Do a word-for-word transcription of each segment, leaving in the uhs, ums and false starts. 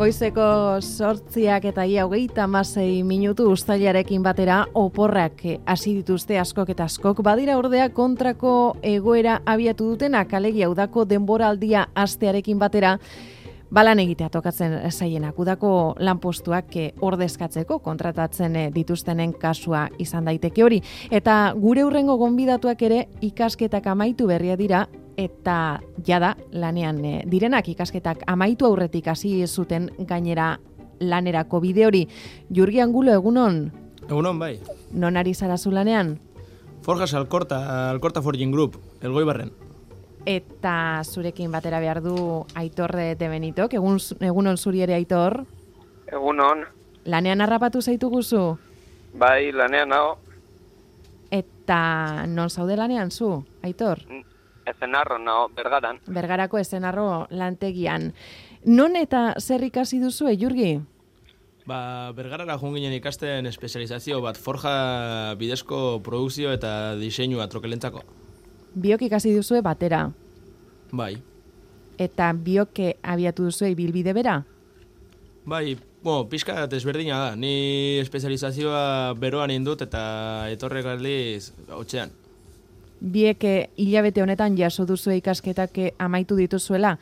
Goizeko sortziak eta ia hogeita hamasei minutu uztailarekin batera oporrak hasi dituzte askok eta askok. Badira ordea kontrako egoera abiatu dutenak, alegia udako denboraldia hastearekin batera balan egitea tokatzen zaienak. Udako lanpostuak ordezkatzeko kontratatzen dituztenen kasua izan daiteke hori. Eta gure hurrengo gonbidatuak ere ikasketak amaitu berria dira, eta jada lanean direnak ikasketak amaitu aurretik hasi zuten gainera lanerako bide hori. Jurgi Angulo, egunon? Egunon, bai. Non ari zara zu lanean? Forjas Alkorta, Alkorta Forging Group, Elgoibarren. Eta zurekin batera behar du Aitor de Benitok, egun, egunon zuri ere Aitor? Egunon. Lanean harrapatu zaitu guzu? Bai, lanean nago. Eta non zaude lanean zu, Aitor? Ezenarro nago, Bergaran. Bergarako Ezenarro lantegian. Non eta zer ikasi duzu, Jurgi? Ba, Bergarara joan ginen ikasten espezializazio bat, forja bidezko produkzio eta diseinua trokelentzako. Biok ikasi duzue batera. Bai. Eta biok abiatu duzue bilbide bera? Bai, bueno, pixka desberdina da. Ni espezializazioa beroan indut eta etorrek aldiz hotxean. Biek hilabete honetan jaso duzue ikasketak amaitu dituzuela,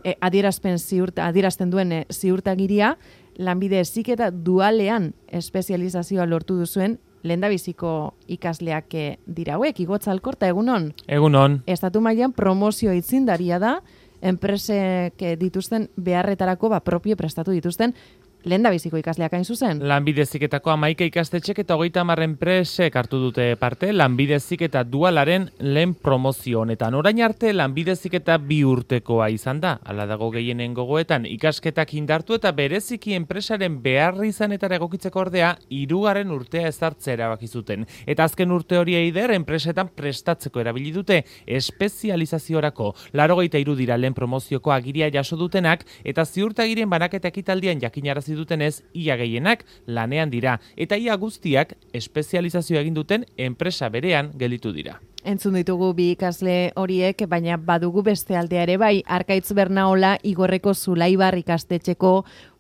e, adierazpen ziurta, adierazten duen e, ziurtagiria, lanbide heziketa dualean espezializazioa lortu duzuen lehendabiziko ikasleak dira hauek. Igotza Alkorta, egunon? Egunon. Estatu mailan promozio aitzindaria da, enpresek dituzten beharretarako ba, propio prestatu dituzten lehendabiziko ikasleak hain zuzen. Lanbide heziketako hamaika ikastetxek eta hogeita hamar enpresek hartu dute parte lanbide heziketa dualaren lehen promozio honetan. Orain arte lanbide heziketa bi urtekoa izan da. Hala dago gehienen gogoetan ikasketak indartu eta bereziki enpresaren beharri izanetara egokitzeko ordea hirugarren urtea ezartzea erabaki zuten. Eta azken urte hori eider enpresetan prestatzeko erabili dute espezializaziorako. Laurogeita hiru dira lehen promozioko agiria jaso dutenak eta ziurtagirien banaketa ekitaldian jakinarazi dutenez, ia gehienak lanean dira, eta ia guztiak espezializazioa egin duten enpresa berean gelditu dira. Entzun ditugu bi ikasle horiek, baina badugu beste aldea ere bai, Arkaitz Bernaola Igorreko Zulaibar ikastetxeko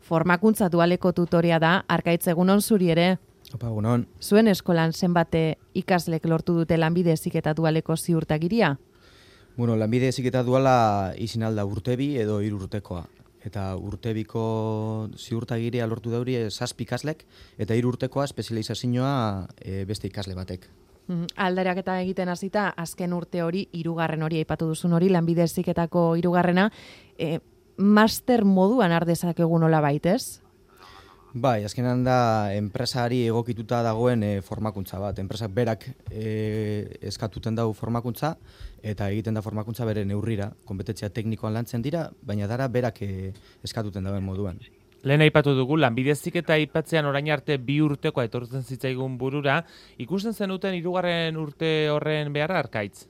formakuntza dualeko tutorea da. Arkaitz, egunon zuri ere? Opa, egunon. Zuen eskolan zenbate ikaslek lortu dute lanbide heziketa dualeko ziurtagiria? Bueno, lanbide heziketa duala izin alda urtebi edo hiru urtekoa. Eta urtebiko ziurtagiria lortu dauri zazpi ikaslek, eta hiru urtekoa espezializazioa e, beste ikasle batek. Mm, aldaraketa egiten hasita azken urte hori, hirugarren hori aipatu duzun hori, lanbide heziketako hirugarrena, e, master moduan ardezakegu nola baitez? Bai, azkenan da enpresari egokituta dagoen e, formakuntza bat. Enpresak berak e, eskatuten dau formakuntza, eta egiten da formakuntza bere neurrira. Konpetentzia teknikoan lantzen dira, baina dara berak e, eskatuten dauen moduan. Lehen aipatu dugu, lanbide heziketa aipatzean orain arte bi urtekoa etortzen zitzaigun burura, ikusten zenuten hirugarren urte horren beharra, Arkaitz?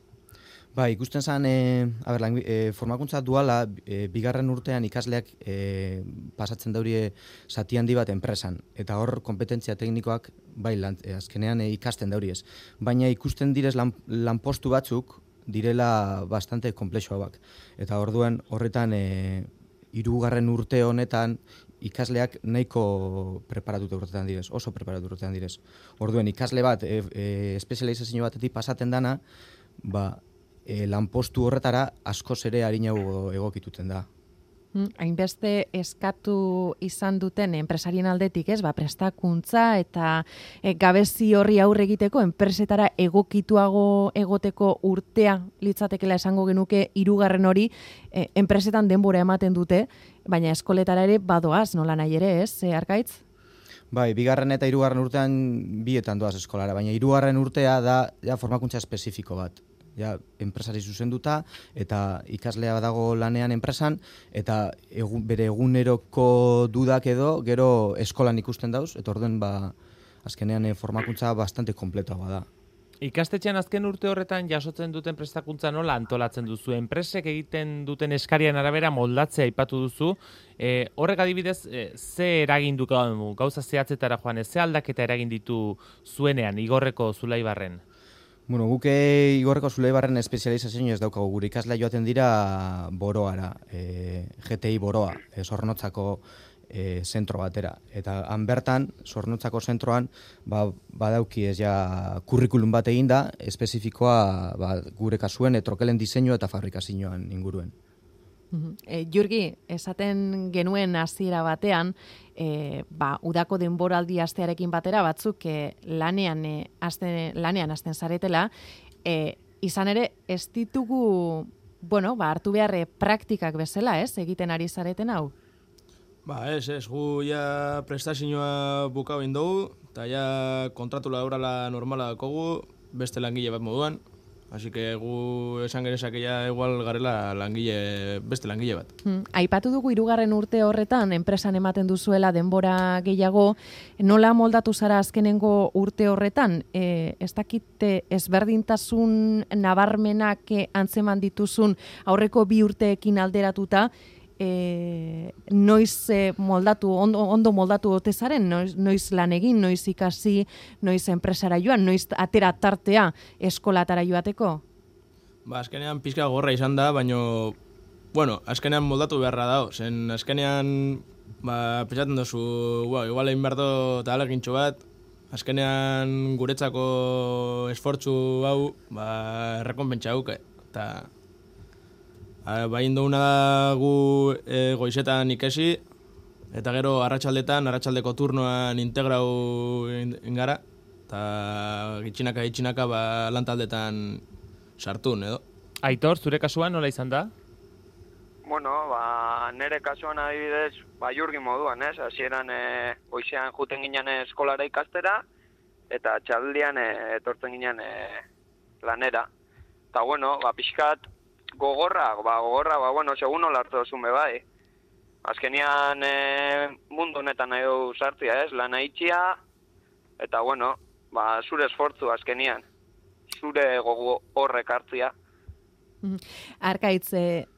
Ba, ikusten zen, e, a ber, e, formakuntza duala, e, bigarren urtean ikasleak e, pasatzen daurie zati handi bat enpresan. Eta hor, kompetentzia teknikoak, bai, lan, e, azkenean e, ikasten dauriez. Baina ikusten direz lan, lanpostu batzuk, direla bastante komplexuak. Eta orduan horretan, e, hirugarren urte honetan, ikasleak nahiko preparatuta urtetan direz, oso preparatuta urtetan direz. Orduan, ikasle bat, e, e, espezializazio batetik pasaten dana, ba, E, lanpostu horretara askoz ere arinago egokituten da. Hainbeste eskatu izan duten enpresarien aldetik, ez, ba, prestakuntza eta e, gabezi horri aurre egiteko enpresetara egokituago egoteko urtea litzatekela esango genuke hirugarren hori e, enpresetan denbora ematen dute, baina eskoletara ere badoaz, nola nahi ere, ez, e, Arkaitz? Bai, bigarren eta hirugarren urtean bietan doaz eskolara, baina hirugarren urtea da ja, formakuntza espezifiko bat. Ja, enpresari zuzenduta eta ikaslea dago lanean enpresan eta egun, bere eguneroko dudak edo gero eskolan ikusten dauz, eta orduen ba, azkenean e, formakuntza bastante kompletoa da. Ikastetxean azken urte horretan jasotzen duten prestakuntza nola antolatzen duzu? Enpresek egiten duten eskarian arabera moldatzea aipatu duzu. E, horrek adibidez, e, ze eragin du gauza zehatzetara joan, ze aldaketa eragin ditu zuenean, Igorreko Zulaibarren? Bueno, guke Igorreko Zulaibarren espezializazio ez daukagu, gure ikaslea joaten dira boroara, e, G T I boroa, e, Zornotzako e, zentro batera. Eta han bertan, Zornotzako zentroan, ba, badauki ez ja kurrikulum bat eginda, espezifikoa ba, gure kasuen e, trokelen diseinua eta fabrikazioan inguruen. E, Jurgi, esaten genuen hasiera batean, e, ba, udako denboraldi astearekin batera batzuk e, lanean, e, azten, lanean azten zaretela, e, izan ere ez ditugu, bueno, ba, hartu beharre praktikak bezala, ez, egiten ari zareten hau? Ba, ez, ez, gu ja prestazioa bukau dugu, eta ja kontratu laborala normala dakogu, beste langile bat moduan, así que gu esan gerezak ja igual garela langile, beste langile bat. Hmm. Aipatu dugu hirugarren urte horretan, enpresan ematen duzuela denbora gehiago, nola moldatu zara azkenengo urte horretan? E, ez dakite ezberdintasun nabarmenak antzeman dituzun aurreko bi urteekin alderatuta, E, noiz e, moldatu, ondo, ondo moldatu otezaren, noiz, noiz lan egin, noiz ikasi, noiz enpresara joan, noiz atera tartea eskolatara joateko? Ba, azkenean pizka gorra izan da, baino, bueno, azkenean moldatu beharra dago, zen azkenean, ba, pentsatzen duzu, wow, igual egin behar do eta alegintxo bat, azkenean guretzako esfortzu hau, ba, errekonpentsa hauke, eta bain duguna gu e, goizetan ikesi, eta gero arratsaldetan, arratsaldeko turnoan integrau ingara, eta gitxinaka gitxinaka ba, lantaldetan sartun, edo. Aitor, zure kasuan nola izan da? Bueno, ba, nire kasuan adibidez, ba, Jurgi moduan, ez? Hasieran e, goizean juten ginen eskolara ikastera, eta txaldian e, etortzen ginen e, lanera. Eta bueno, ba, pixkat, gogorra, ba, gogorra, ba, bueno, segun nola hartu dozun bai. Azkenian e, mundu honetan nahi du sartzia, ez? Lana itxia, eta, bueno, ba, zure esfortzu azkenian, zure gogo horrek hartzia. Arkaitz,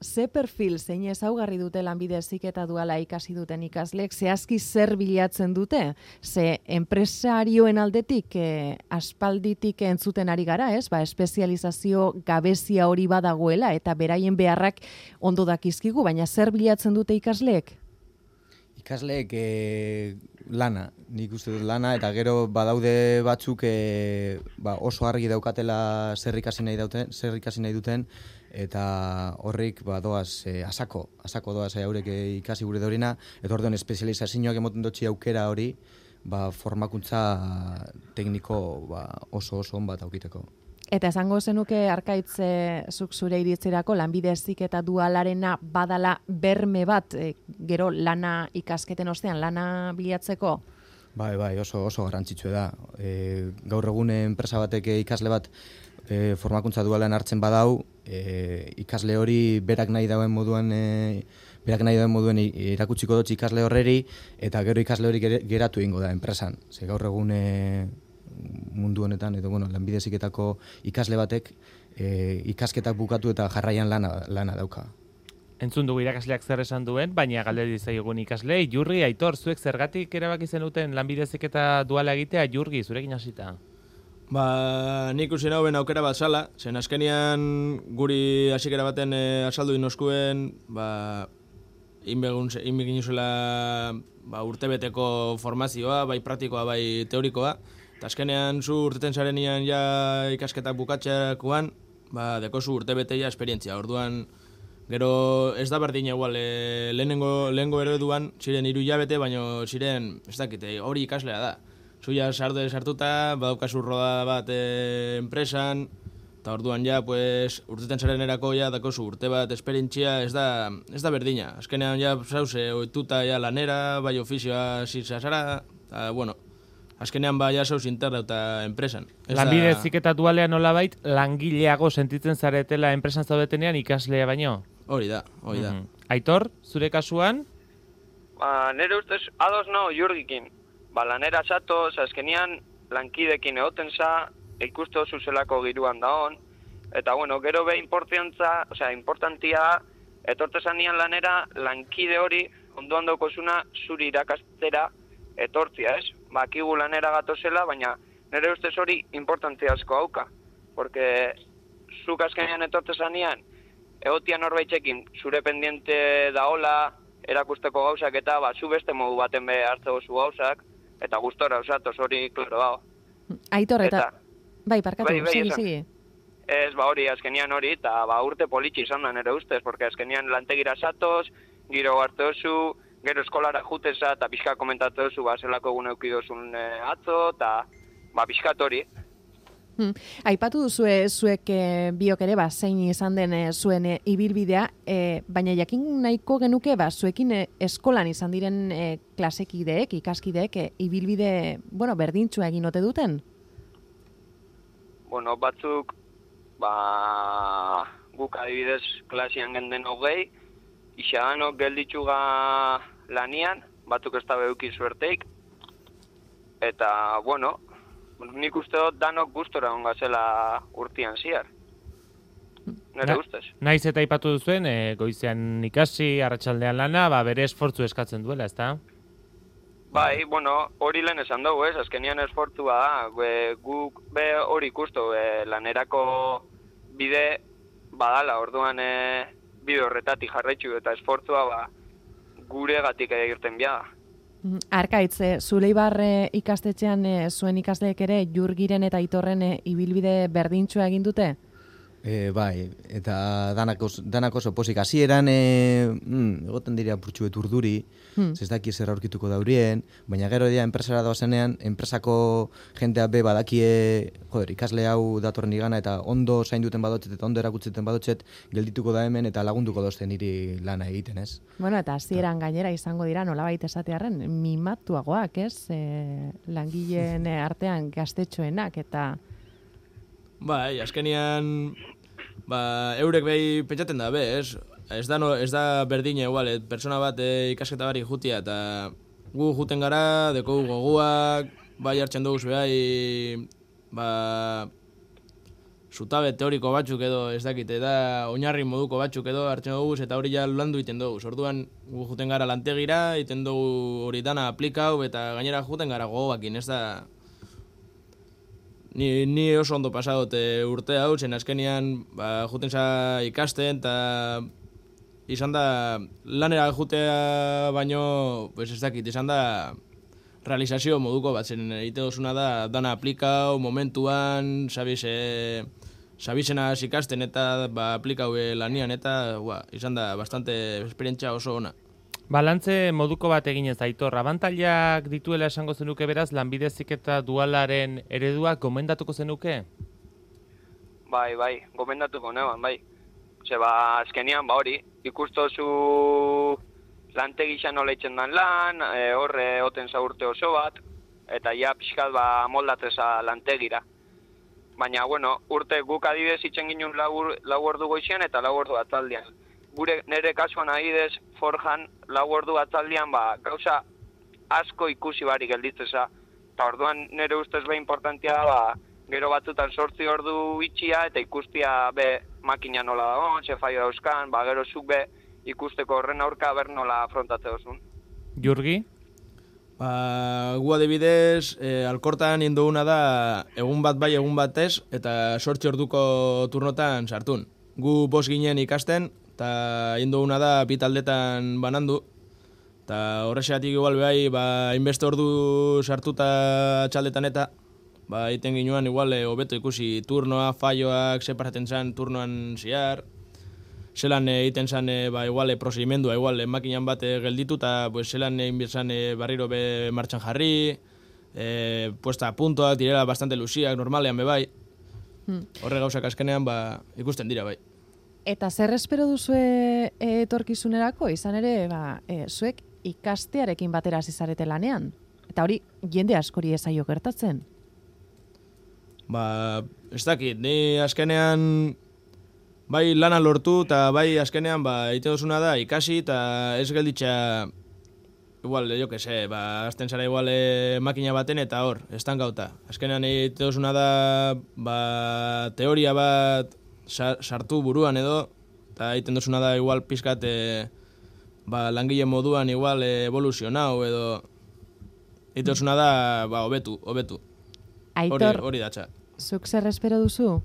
ze perfil, zein ezaugarri dute lanbide heziketa duala ikasi duten ikasleek, zehazki zer bilatzen dute? Ze enpresarioen aldetik eh, aspalditik entzuten ari gara, ez? Ba, espezializazio gabezia hori badagoela eta beraien beharrak ondo dakizkigu, baina zer bilatzen dute ikasleek? Ikasleek e, lana, nik uste dut lana, eta gero badaude batzuk e, ba, oso argi daukatela zer ikasi nahi duten, zer ikasi nahi duten, eta horrik ba, doaz e, asako, asako doaz e, haurek e, ikasi gure dorina, eta orduan espezializazioak emoten dutxi aukera hori, ba, formakuntza tekniko ba, oso oso on bat aukiteko. Eta esango zenuke Arkaitz zuk zure iritzirako lanbide heziketa dualarena badala berme bat, e, gero lana ikasketen ostean lana bilatzeko? Bai, bai, oso oso garrantzitsua da. E, gaur egun enpresa batek ikasle bat e, formakuntza dualan hartzen badau, e, ikasle hori berak nahi dauen moduan e, berak nahi dauen moduen irakutsiko dut ikasle horreri, eta gero ikasle hori geratu egingo da enpresan. Ze gaur egun e, mundu honetan, edo bueno, lanbide heziketako ikasle batek e, ikasketak bukatu eta jarraian lana, lana dauka. Entzun dugu irakasleak zer esan duen, baina galdetu zaigun ikaslei, Jurgi, Aitor, zuek zergatik erabaki zenuten lanbide heziketa duala egitea, Jurgi, zurekin hasita? Ba, nik usi nauen aukera bat zala, zen azkenian guri hasikera baten e, azaldu inoskuen, ba, inbegin uzela ba, urtebeteko formazioa, bai praktikoa, bai teorikoa, eta azkenean zu urteten zarenian ja ikasketak bukatxeakoan, ba, dekozu urtebeteia esperientzia. Orduan, gero ez da berdin egual, e, lehenengo, lehenengo ereduan, ziren hiru hilabete, baino ziren, ez dakite, hori ikaslea da. Zuia sarde sartuta, badaukazu roda bat e, enpresan, eta orduan ja, pues, urteten zarenerako ja, dakozu urte bat esperientzia, ez da, ez da berdina. Azkenean ja, zauze, oituta ja lanera, bai ofizioa zizazara, eta, bueno, azkenean ba ja zauz interna eta enpresan. Lanbide heziketa dualean nolabait langileago sentitzen zaretela enpresan zaudetenean ikaslea baino? Hori da, hori da. Mm-hmm. Aitor, zure kasuan? Ba, nire ustez, ados nao Jurgikin. Ba, lanera zato, azkenian lankidekin egoten za, ikuste oso zelako giruan da hon, eta bueno, gero be importantza, osea, importantia, etortezanian lanera, lankide hori, ondo ondoko zuna, zuri irakastera, etortzia, ez? Bakigu lanera gatozela, baina nire ustez hori importantzia asko hauka. Porque zuk azkenean etortzezanean, egotia norbaitzekin zure pendiente daola, erakusteko gauzak eta ba, zu beste modu baten be hartzeko zu gauzak, eta gustora osatoz hori, klaro, hau. Aitor, eta... Bai, parkatu, bai, bai, sigi, esan. sigi. Ez, ba hori, azkenian hori, eta ba urte politxi izan da nire ustez, porque azkenian lantegira satoz, giro hartu oso, gero eskolara juteza, eta pixka komentatu oso, ba, zelako egun eukidozun e, atzo, eta ba, pixkat hori. Hmm. Aipatu duzue zuek e, biok ere, ba, zein izan den e, zuen e, ibilbidea, e, baina jakin nahiko genuke, ba, zuekin e, eskolan izan diren e, klasekideek, ikaskideek, e, ibilbide, bueno, berdintzua egin ote duten? Bueno, batzuk, ba, guk adibidez klasian genden hogei, isaganok gelditxuga lanian, batzuk ez da beuki suerteik, eta, bueno, nik uste dut danok gustora ongazela urtian ziar. Nere Na, ustez. Naiz eta aipatu duzuen, e, goizean ikasi, arratsaldean lana, ba, bere esfortzu eskatzen duela, ezta? Bai, bueno, hori lehen esan dugu, ez, azkenian esfortzua da, be, guk be hori ikustu, e, lanerako bide badala, orduan e, bide horretatik jarraitzu eta esfortzua ba, gure gatik egiten biada. Arkaitz, e, Zuleibar e, ikastetxean e, zuen ikasleek ere Jurgiren eta Aitorren e, ibilbide berdintsua egin dute? E, bai, eta danak oso, danak oso posik. Hasieran e, mm, egoten dira purtsuet urduri, hmm. ez daki zer aurkituko daurien, baina gero dira enpresara doazenean, enpresako jentea be badakie, joder, ikasle hau datorren igana eta ondo zainduten badotxet eta ondo erakutzeten badotxet, geldituko da hemen eta lagunduko dozten niri lana egiten, ez? Bueno, eta hasieran gainera izango dira nolabait esatearren mimatuagoak, ez? E, langileen artean gaztetxoenak eta... Bai, azkenian, ba, eurek behi pentsaten da, be, ez? Ez da, no, ez da berdine, igual, et, persona bat e, ikasketa barik jutia, eta gu juten gara, deko goguak, bai hartzen dugu behai, ba, zutabe teoriko batzuk edo, ez dakit, eta oinarri moduko batzuk edo hartzen dugu, eta hori ja landu iten dugu. Orduan gu juten gara lantegira, iten dugu hori dana aplikau, eta gainera juten gara gogoakin, ez da... Ni, ni oso ondo pasadote urte hau, zen azkenian ba, juten za ikasten, eta izan da lanera jutea baino, pues ez dakit, izan da realizazio moduko bat, zen egite dozuna da dana aplikau, momentuan, sabiz, e, sabizena ikasten eta ba, aplikau lanian, eta ba, izan da bastante esperientzia oso ona. Balantze moduko bat eginez, Aitor, abantailak dituela esango zenuke beraz, lanbide heziketa dualaren eredua gomendatuko zenuke? Bai, bai, gomendatuko neban, bai. Ze ba, azkenian, ba hori, ikustozu lantegixan nola itzen dan lan, e, horre oten zaurte oso bat, eta ja pixkat ba moldatzeza lantegira. Baina, bueno, urte guk adibidez itzen ginen lau, lau ordu goizian eta lau ordu atzaldian. Gure nere kasuan adibidez forjan lau ordu atzaldian ba, gauza asko ikusi barik gelditzeza. Eta orduan nire ustez be importantia da, ba, gero batzutan sortzi ordu itxia eta ikustia be makina nola dago, ze faio dauzkan, ba, gero zuk be ikusteko horren aurka ber nola afrontatze dozun. Jurgi? Ba, gu adibidez, e, alkortan induguna da egun bat bai egun bat ez, eta sortzi orduko turnotan sartun. Gu bost ginen ikasten, eta induguna da bitaldetan banandu, eta horrexeatik igual behai, ba, inbeste ordu sartuta txaldetan eta, ba, iten ginuan igual hobeto ikusi turnoa, faioak, separaten zan turnoan ziar, zelan egiten zan, ba, igual, prosedimendua, igual, makinan bat gelditu, eta pues, zelan egin bizan barriro be martxan jarri, e, puesta a puntoak, direla bastante luziak, normalean be bai. Hmm. Horre gauzak azkenean, ba, ikusten dira bai. Eta zer espero duzue etorkizunerako, izan ere, ba, e, zuek ikastearekin batera zizarete lanean? Eta hori, jende askori ezaio gertatzen? Ba, ez dakit, ni azkenean bai lana lortu, eta bai azkenean ba, egite dozuna da ikasi, eta ez gelditza, igual, jo que se, ba, azten zara igual e, makina baten, eta hor, estankauta. Azkenean egite dozuna da, ba, teoria bat sartu buruan edo, eta egiten dozuna da igual pizkat e, ba, langile moduan igual evoluzionau edo egiten dozuna da ba, hobetu, hobetu. Aitor, hori datza. Zuk zer espero duzu?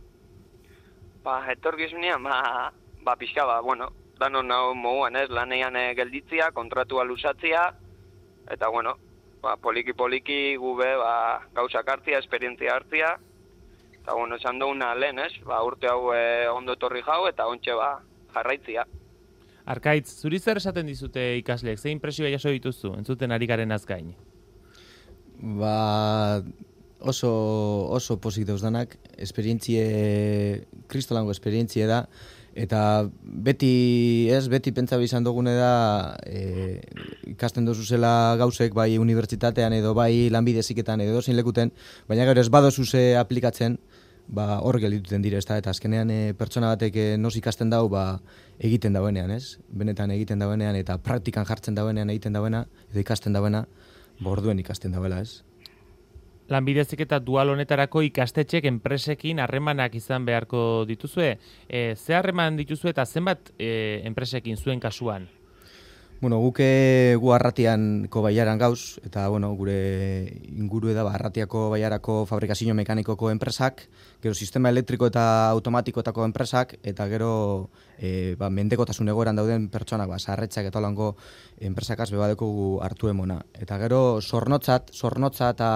Ba, etorkizunean, ba, ba pixka, ba, bueno, danon nahu moguan, ez, lanean e, gelditzia, kontratua lusatzia, eta, bueno, ba, poliki-poliki gube ba, gauzak hartzia, esperientzia hartzia, eta, bueno, esan duguna lehen, ez, ba, urte hau e, ondo etorri jau, eta ontxe ba, jarraitzia. Arkaitz, zuri zer esaten dizute ikasleek, zein impresioa jaso dituzu, entzuten ari garen azgain? Ba, oso, oso pozik dauzdanak, esperientzie, kristolango esperientzie da, eta beti, ez, beti pentsa izan dugune da, e, ikasten dozu zela gauzek, bai unibertsitatean edo bai lanbide heziketan edo zein lekuten, baina gero ez badozu ze aplikatzen, ba, hor geldituten dire, ezta, eta azkenean e, pertsona batek e, noz ikasten dau, ba, egiten dauenean, ez? Benetan egiten dauenean eta praktikan jartzen dauenean egiten dauena, edo ikasten dauena, ba, orduen ikasten dauela, ez? Lanbide heziketa dual honetarako ikastetxek enpresekin harremanak izan beharko dituzue. E, ze harreman dituzue eta zenbat e, enpresekin zuen kasuan? Bueno, guke gu Arratianko baiaran gauz, eta bueno, gure inguru da Arratiako baiarako fabrikazio mekanikoko enpresak, gero sistema elektriko eta automatikotako enpresak, eta gero e, ba, mendekotasun egoeran dauden pertsonak, ba, sarretzak eta holango enpresakaz bebadeko gu hartu emona. Eta gero zornotzat, zornotza eta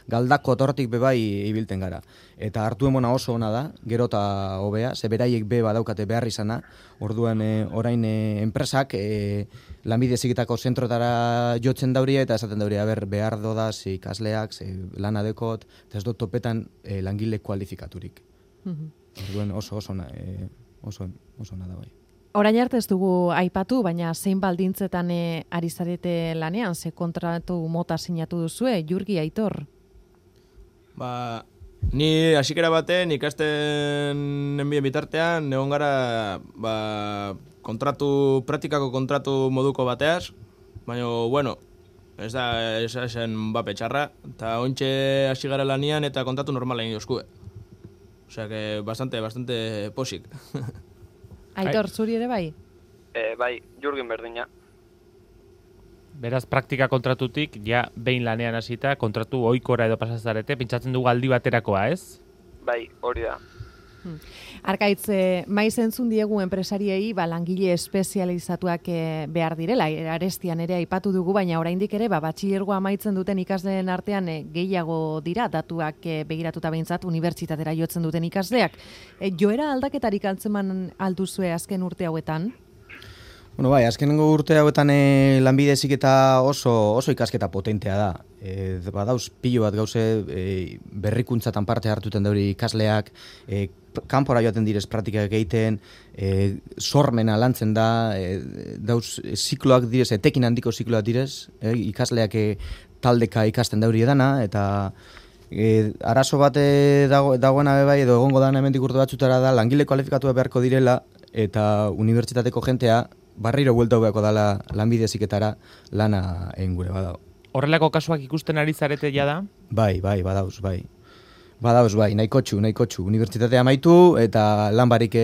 galdako tortik bebai ibilten gara. Eta hartu emona oso ona da, gero eta hobea, ze beraiek be badaukate behar izana, orduan e, orain e, enpresak e, lanbide heziketako zentrotara jotzen dauria eta esaten dauria ber behar dodaz ikasleak, ze lana dekot, eta ez dut topetan e, langile kualifikaturik. Mm-hmm. Orduan oso oso na, e, oso oso na da bai. Orain arte ez dugu aipatu, baina zein baldintzetan e, ari zarete lanean, ze kontratu mota sinatu duzue, Jurgi, Aitor? Ba, ni hasikera baten ikasten nenbien bitartean, egon gara ba, kontratu, praktikako kontratu moduko bateaz, baina, bueno, ez da ez esen bape txarra, eta ointxe hasi gara lanian eta kontratu normala egin dozkue. Osea, que bastante, bastante posik. Aitor, zuri ere bai? E, bai, Jurgin berdina. Beraz, praktika kontratutik, ja, behin lanean hasita, kontratu ohikora edo pasazarete, pentsatzen dugu aldi baterakoa, ez? Bai, hori da. Hmm. Arkaitz, eh, maiz entzun diegu enpresariei ba, langile espezializatuak eh, behar direla, arestian ere aipatu dugu, baina oraindik ere ba, batxilergoa amaitzen duten ikasleen artean eh, gehiago dira, datuak eh, begiratuta behintzat unibertsitatera jotzen duten ikasleak. Eh, joera aldaketarik altzeman alduzue azken urte hauetan? Bueno, bai, azkenengo urte hauetan e, lanbide heziketa oso oso ikasketa potentea da. E, badauz pilo bat gauze e, berrikuntzatan parte hartuten dauri ikasleak, e, kanpora joaten direz praktikak egiten, e, sormena lantzen da, e, dauz e, zikloak direz, etekin handiko zikloak direz, e, ikasleak e, taldeka ikasten dauri edana, eta e, arazo bat e, dago, dagoena bai, edo egongo dana hemendik urte batzutara da, langile kualifikatu beharko direla, eta unibertsitateko jentea, barriro buelta beharko dala lanbide heziketara lana egin gure badago. Horrelako kasuak ikusten ari zarete ja da? Bai, bai, badauz, bai. Badauz, bai, nahikotxu, nahikotxu. Unibertsitatea amaitu eta lan barik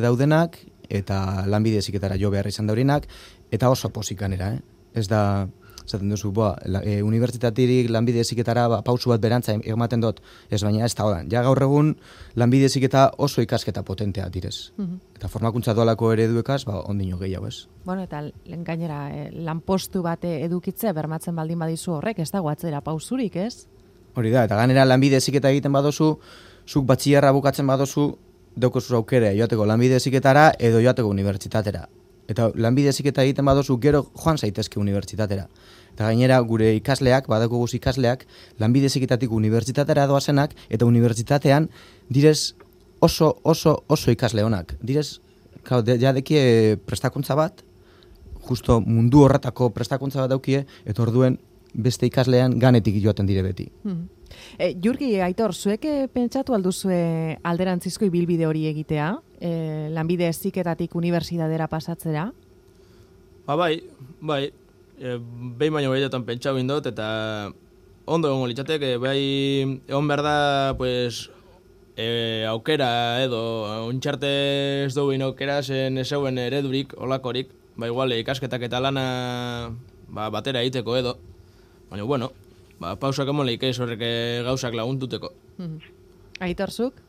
daudenak eta lanbide heziketara jo behar izan daurinak eta oso posikanera, eh? Ez da, esaten duzu, boa, e, unibertsitatirik lanbide heziketara ba, pausu bat berantza ematen dut, ez baina ez da hodan. Ja gaur egun lanbide heziketa oso ikasketa potentea direz. Mm-hmm. Eta formakuntza doalako ereduekaz, ba, ondino gehiago ez. Bueno, eta gainera, eh, lanpostu bat edukitzea bermatzen baldin badizu horrek, ez dago atzera pausurik, ez? Hori da, eta gainera lanbide heziketa egiten badozu, zuk batxillerra bukatzen badozu, daukozu aukera joateko lanbide heziketara edo joateko unibertsitatera. Eta lanbide heziketa egiten badozu gero joan zaitezke unibertsitatera. Eta gainera gure ikasleak, badako guz ikasleak, lanbide heziketatik unibertsitatera doazenak, eta unibertsitatean direz oso, oso, oso ikasle honak. Direz, ja dekie prestakuntza bat, justo mundu horretako prestakuntza bat daukie, eta orduen beste ikaslean ganetik joaten dire beti. Hmm. E, Jurgi, Aitor, zuek pentsatu alduzue alderantzizko ibilbide hori egitea? E, lanbide heziketatik unibertsitatera pasatzera? Ba bai, bai. E, behin baino behietan pentsau indot, eta ondo egongo litzateke, bai egon behar da, pues, e, aukera edo, ontxarte ez duguin aukera zen ezeuen eredurik, olakorik, ba igual ikasketak eta lana ba, batera egiteko edo, baina bueno, ba, pausak emoleik ez horrek gauzak laguntuteko. Mm-hmm. Aitorzuk?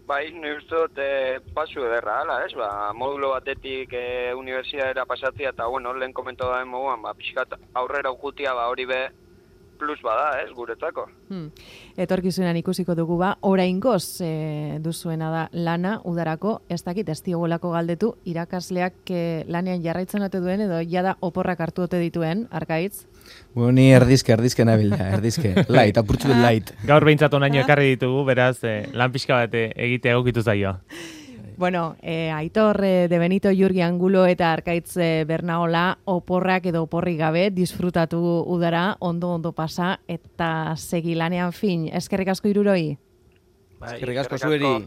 bai, ni uste dut e, pasu ederra, ala, ez? Ba, modulo batetik e, unibertsitatera pasatzea, eta, bueno, lehen komentu da moguan, ba, pixkat aurrera ujutia, ba, hori be, plus bada, ez, guretzako. Hmm. Etorkizunan ikusiko dugu ba, oraingoz e, duzuena da lana, udarako, ez dakit, ez diogolako galdetu, irakasleak e, lanean jarraitzen ote duen, edo jada oporrak hartu ote dituen, Arkaitz? Bueno, ni erdizke, erdizke nabilda, erdizke. Light, apurtzu dut light. Gaur behintzat onaino ekarri ditugu, beraz, eh, lan pixka bat egite egokitu zaio. Bueno, eh, Aitor eh, de Benito, Jurgi Angulo eta Arkaitz eh, Bernaola oporrak edo oporri gabe disfrutatu udara, ondo-ondo pasa eta segi lanean fin. Eskerrik asko hiruroi. Bai, Eskerrik asko eskerrik asko. zueri.